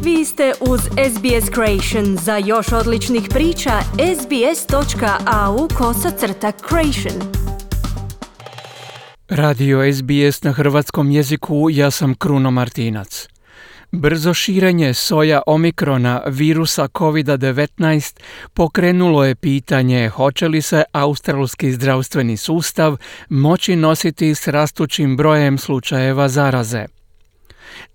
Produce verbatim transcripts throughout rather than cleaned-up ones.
Vi ste uz S B S Creation. Za još odličnih priča, sbs.au kosacrta creation. Radio S B S na hrvatskom jeziku, ja sam Kruno Martinac. Brzo širenje soja omikrona virusa covid devetnaest pokrenulo je pitanje hoće li se australski zdravstveni sustav moći nositi s rastućim brojem slučajeva zaraze.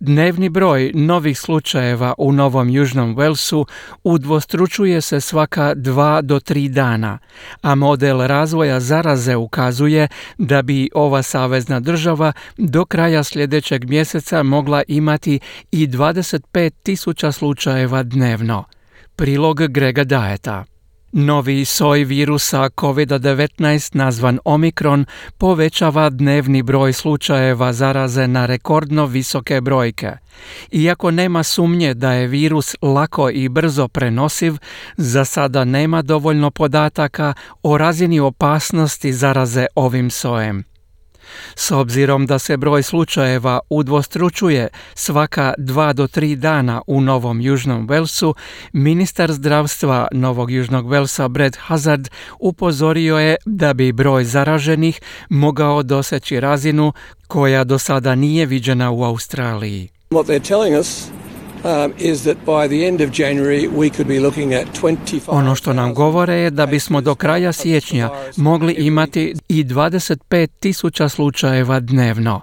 Dnevni broj novih slučajeva u Novom Južnom Walesu udvostručuje se svaka dva do tri dana, a model razvoja zaraze ukazuje da bi ova savezna država do kraja sljedećeg mjeseca mogla imati i dvadeset pet tisuća slučajeva dnevno. Prilog Grega Dieta. Novi soj virusa covid devetnaest nazvan Omikron povećava dnevni broj slučajeva zaraze na rekordno visoke brojke. Iako nema sumnje da je virus lako i brzo prenosiv, za sada nema dovoljno podataka o razini opasnosti zaraze ovim sojem. S obzirom da se broj slučajeva udvostručuje svaka dva do tri dana u Novom Južnom Walesu, ministar zdravstva Novog Južnog Walesa Brad Hazzard upozorio je da bi broj zaraženih mogao doseći razinu koja do sada nije viđena u Australiji. What they're telling us Um, is that by the end of January we could be looking at twenty-five. Ono što nam govore je da bismo do kraja siječnja mogli imati i dvadeset pet tisuća slučajeva dnevno.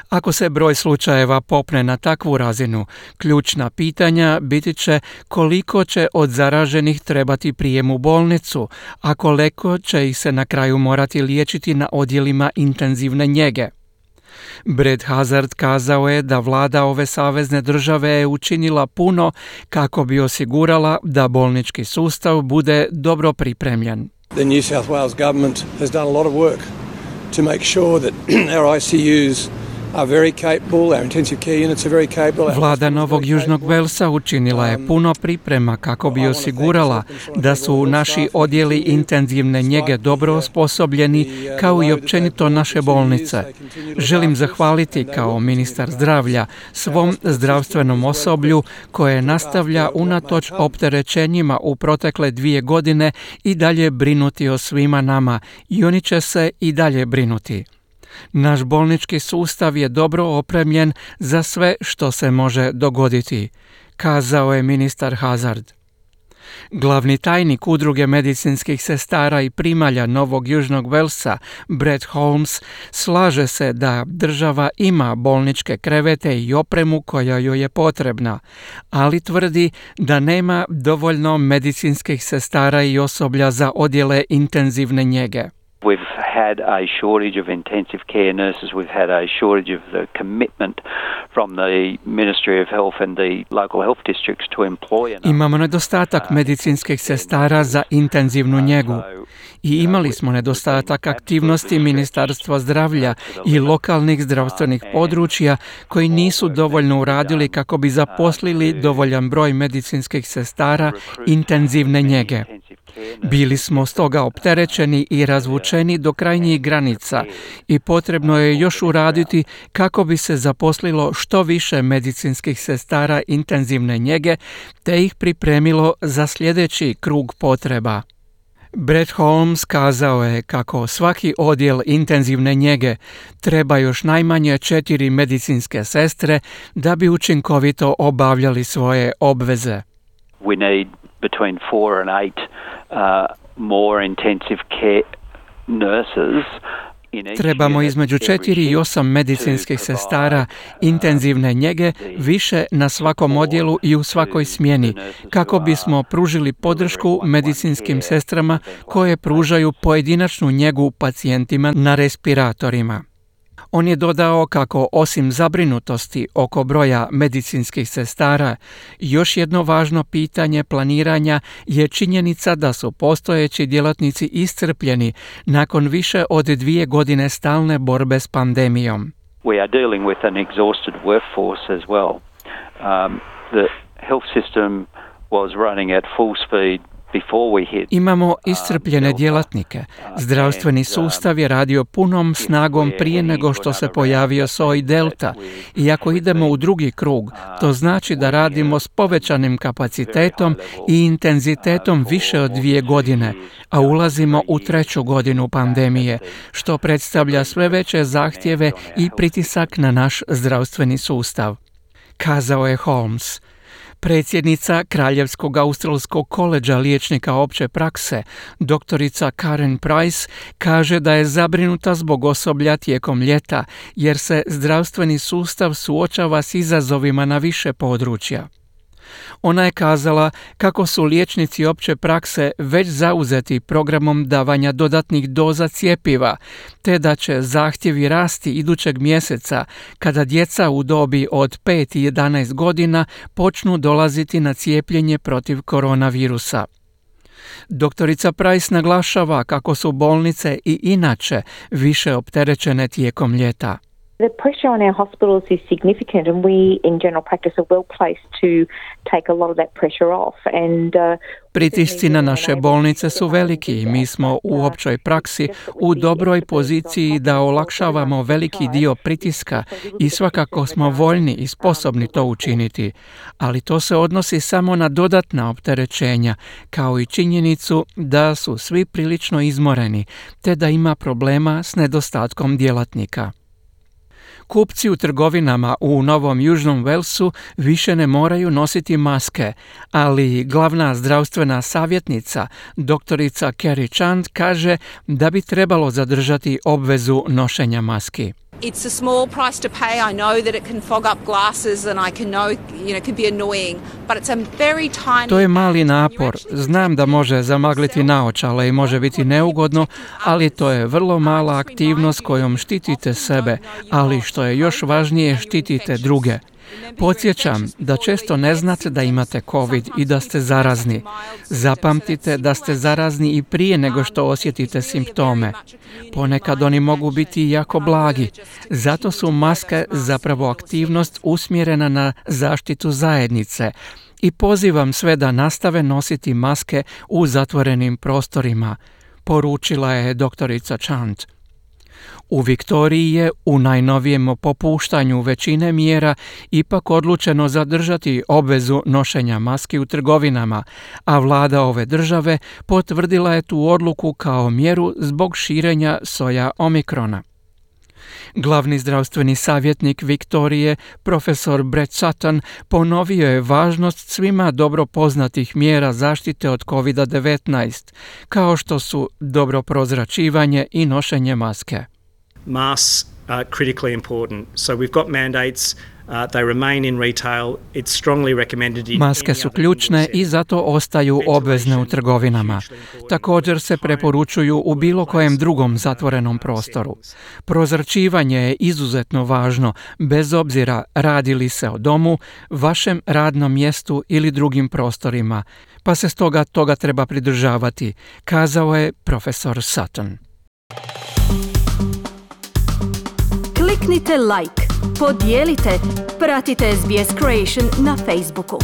Ako se broj slučajeva popne na takvu razinu, ključna pitanja biti će koliko će od zaraženih trebati prijem u bolnicu, a koliko će ih se na kraju morati liječiti na odjelima intenzivne njege. Brad Hazzard kazao je da vlada ove savezne države je učinila puno kako bi osigurala da bolnički sustav bude dobro pripremljen. The New South Wales government has done a lot of work to make sure that our I C Us are very capable, our intensive care units are very capable. Vlada Novog Južnog Walesa učinila je puno priprema kako bi osigurala da su naši odjeli intenzivne njege dobro osposobljeni, kao i općenito naše bolnice. Želim zahvaliti kao ministar zdravlja svom zdravstvenom osoblju koje nastavlja unatoč opterećenjima u protekle dvije godine i dalje brinuti o svima nama i oni će se i dalje brinuti. Naš bolnički sustav je dobro opremljen za sve što se može dogoditi, kazao je ministar Hazzard. Glavni tajnik udruge medicinskih sestara i primalja Novog Južnog Walesa, Brett Holmes, slaže se da država ima bolničke krevete i opremu koja joj je potrebna, ali tvrdi da nema dovoljno medicinskih sestara i osoblja za odjele intenzivne njege. We've had a shortage of intensive care nurses. We've had a shortage of the commitment from the Ministry of Health and the local health districts to employ enough. Imamo nedostatak medicinskih sestara za intenzivnu njegu i imali smo nedostatak aktivnosti Ministarstva zdravlja i lokalnih zdravstvenih područja koji nisu dovoljno uradili kako bi zaposlili dovoljan broj medicinskih sestara intenzivne njege. Bili smo stoga opterećeni i razvučeni do krajnjih granica i potrebno je još uraditi kako bi se zaposlilo što više medicinskih sestara intenzivne njege te ih pripremilo za sljedeći krug potreba. Brett Holmes kazao je kako svaki odjel intenzivne njege treba još najmanje četiri medicinske sestre da bi učinkovito obavljali svoje obveze. We need between four and eight uh, more intensive care nurses. Trebamo između četiri i osam medicinskih sestara intenzivne njege više na svakom odjelu i u svakoj smjeni, kako bismo pružili podršku medicinskim sestrama koje pružaju pojedinačnu njegu pacijentima na respiratorima. On je dodao kako osim zabrinutosti oko broja medicinskih sestara, još jedno važno pitanje planiranja je činjenica da su postojeći djelatnici iscrpljeni nakon više od dvije godine stalne borbe s pandemijom. We are dealing with an exhausted workforce as well. Um, the health system was running at full speed Imamo iscrpljene djelatnike. Zdravstveni sustav je radio punom snagom prije nego što se pojavio soj delta. I ako idemo u drugi krug, to znači da radimo s povećanim kapacitetom i intenzitetom više od dvije godine, a ulazimo u treću godinu pandemije, što predstavlja sve veće zahtjeve i pritisak na naš zdravstveni sustav, kazao je Holmes. Predsjednica Kraljevskog australskog koledža liječnika opće prakse, doktorica Karen Price, kaže da je zabrinuta zbog osoblja tijekom ljeta, jer se zdravstveni sustav suočava s izazovima na više područja. Ona je kazala kako su liječnici opće prakse već zauzeti programom davanja dodatnih doza cjepiva, te da će zahtjevi rasti idućeg mjeseca kada djeca u dobi od pet i jedanaest godina počnu dolaziti na cijepljenje protiv koronavirusa. Doktorica Price naglašava kako su bolnice i inače više opterećene tijekom ljeta. The pressure on our hospitals is significant, and we in general practice are well placed to take a lot of that pressure off. And uh, Pritisci na naše bolnice su veliki i mi smo u općoj praksi u dobroj poziciji da olakšavamo veliki dio pritiska i svakako smo voljni i sposobni to učiniti, ali to se odnosi samo na dodatna opterećenja, kao i činjenicu da su svi prilično izmoreni, te da ima problema s nedostatkom djelatnika. Kupci u trgovinama u Novom Južnom Walesu više ne moraju nositi maske, ali glavna zdravstvena savjetnica, doktorica Kerry Chand, kaže da bi trebalo zadržati obvezu nošenja maski. It's a small price to pay. I know that it can fog up glasses and I can know, you know, it can be annoying, but it's a very tiny... To je mali napor. Znam da može zamagliti naočale i može biti neugodno, ali to je vrlo mala aktivnost kojom štitite sebe, ali što je još važnije, štitite druge. Podsjećam da često ne znate da imate COVID i da ste zarazni. Zapamtite da ste zarazni i prije nego što osjetite simptome. Ponekad oni mogu biti jako blagi. Zato su maske zapravo aktivnost usmjerena na zaštitu zajednice. I pozivam sve da nastave nositi maske u zatvorenim prostorima, poručila je doktorica Chand. U Viktoriji je u najnovijem popuštanju većine mjera ipak odlučeno zadržati obvezu nošenja maski u trgovinama, a vlada ove države potvrdila je tu odluku kao mjeru zbog širenja soja omikrona. Glavni zdravstveni savjetnik Viktorije, profesor Brett Sutton, ponovio je važnost svima dobro poznatih mjera zaštite od kovid devetnaest, kao što su dobro prozračivanje i nošenje maske. Masks are critically important. So we've got mandates. Uh, they remain in retail. It's strongly recommended in Maske su ključne i zato ostaju obvezne u trgovinama. Također se preporučuju u bilo kojem drugom zatvorenom prostoru. Prozračivanje je izuzetno važno, bez obzira radi li se o domu, vašem radnom mjestu ili drugim prostorima, pa se stoga toga treba pridržavati, kazao je profesor Sutton. Kliknite like, podijelite, pratite S B S Creation na Facebooku.